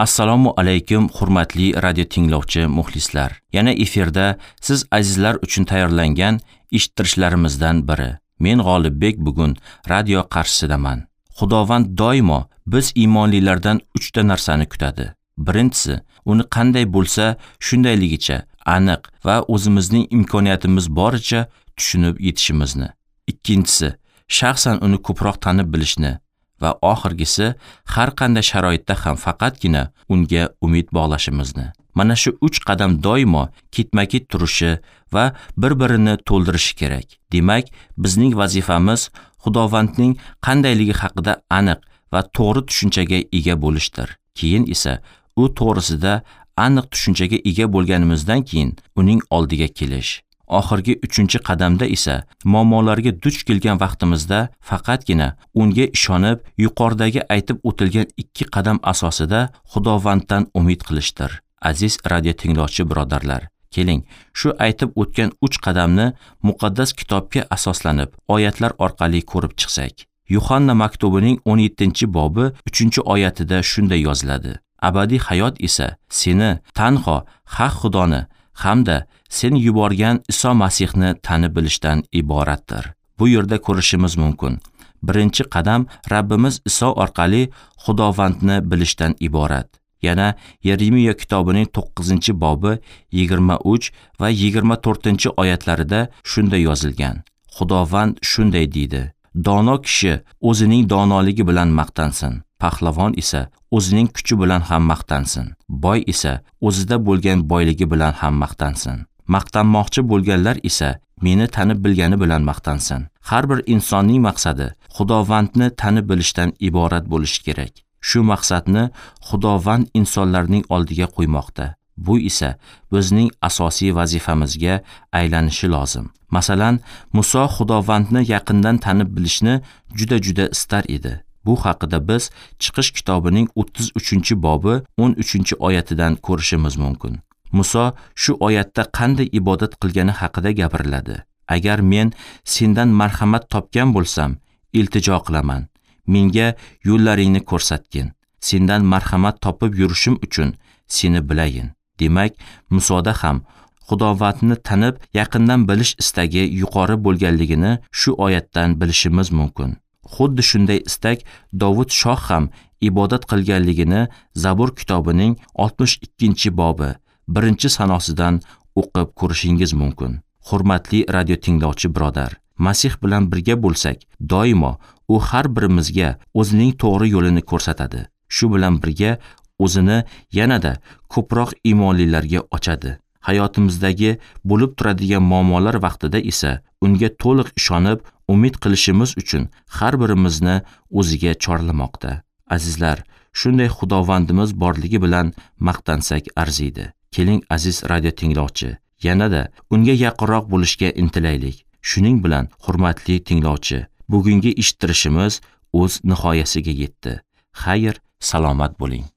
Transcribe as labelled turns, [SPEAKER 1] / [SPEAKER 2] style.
[SPEAKER 1] Assalomu alaykum, hurmatli radio tinglovchi muxlislar. Yana efirda siz azizlar uchun tayyorlangan eshittirishlarimizdan biri. Men G'olibbek bugun radio qarshisidaman. Xudovand doimo biz iymonlilardan 3 ta narsani kutadi. Birinchisi, uni qanday bo'lsa shundayligicha aniq va o'zimizning imkoniyatimiz boricha tushunib yetishimizni. Ikkinchisi, shaxsan uni ko'proq tanib bilishni va oxirgisi, har qanday sharoitda ham faqatgina unga umid bog'lashimizni. Mana shu 3 qadam doimo ketma-ket turishi va bir-birini to'ldirishi kerak. Demak, bizning vazifamiz Xudovandning qandayligi haqida aniq va to'g'ri tushunchaga ega bo'lishdir. Keyin esa u to'g'risida aniq tushunchaga ega bo'lganimizdan keyin uning oldiga kelish. Oxirgi 3-qadamda esa muammolarga duch kelgan vaqtimizda faqatgina unga ishonib, yuqoridagi aytib o'tilgan 2 qadam asosida Xudovanddan umid qilishdir. Aziz radio tinglovchi birodarlar, keling, shu aytib o'tgan 3 qadamni muqaddas kitobga asoslanib, oyatlar orqali ko'rib chiqsak. Yuhanna maktubining 17-bobi 3-oyatida shunday yoziladi: Abadiy hayot esa seni tanho haq Xudoni hamda sen yuborgan Iso Masihni tanib bilishdan iboratdir. Bu yerda ko'rishimiz mumkin. Birinchi qadam Rabbimiz Iso orqali Xudovandni bilishdan iborat. Yana Yeremiya kitobining 9-bobi 23 va 24-oyatlarida shunday yozilgan: Xudovand shunday deydi: Dono kishi o'zining donoligi bilan maqtansin, pahlavon esa o'zining kuchi bilan ham maqtansin, boy esa o'zida bo'lgan boyligi bilan ham maqtansin. Maqtanmoqchi bo'lganlar esa meni tanib bilgani bilan maqtansin. Har bir insonning maqsadi Xudovandni tanib bilishdan iborat bo'lishi kerak. Shu maqsadni Xudovand insonlarning oldiga qo'ymoqda. Bu esa bizning asosiy vazifamizga aylanishi lozim. Masalan, Muso Xudovandni yaqindan tanib bilishni juda-juda istar edi. Bu haqida biz Chiqish kitobining 33-bobi 13-oyatidan ko'rishimiz mumkin. Muso shu oyatda qanday ibodat qilgani haqida gapiriladi. Agar men sendan marhamat topgan bo'lsam, iltijo qilaman. Menga yo'llaringni ko'rsatgin. Sendan marhamat topib yurishim uchun seni bilayin. Demak, Musoda ham Xudovandni tanib, yaqindan bilish istagi yuqori bo'lganligini shu oyatdan bilishimiz mumkin. Xuddi shunday istak Dovud shoh ham ibodat qilganligini Zabur kitobining 62-bobi 1-sanosidan o'qib ko'rishingiz mumkin. Hurmatli radio tinglovchi birodar, Masih bilan birga bo'lsak, doimo u har birimizga o'zining to'g'ri yo'lini ko'rsatadi. Shu bilan birga o'zini yanada ko'proq iymonlilarga ochadi. Hayotimizdagi bo'lib turadigan muammolar vaqtida esa unga to'liq ishonib, umid qilishimiz uchun har birimizni o'ziga chorlamoqda. Azizlar, shunday Xudovandimiz borligi bilan maqtansak arziydi. Keling, aziz radio tinglovchi, yanada unga yaqinroq bo'lishga intilaylik. Shuning bilan, hurmatli tinglovchi, bugungi eshittirishimiz o'z nihoyasiga yetdi. Xayr, salomat bo'ling.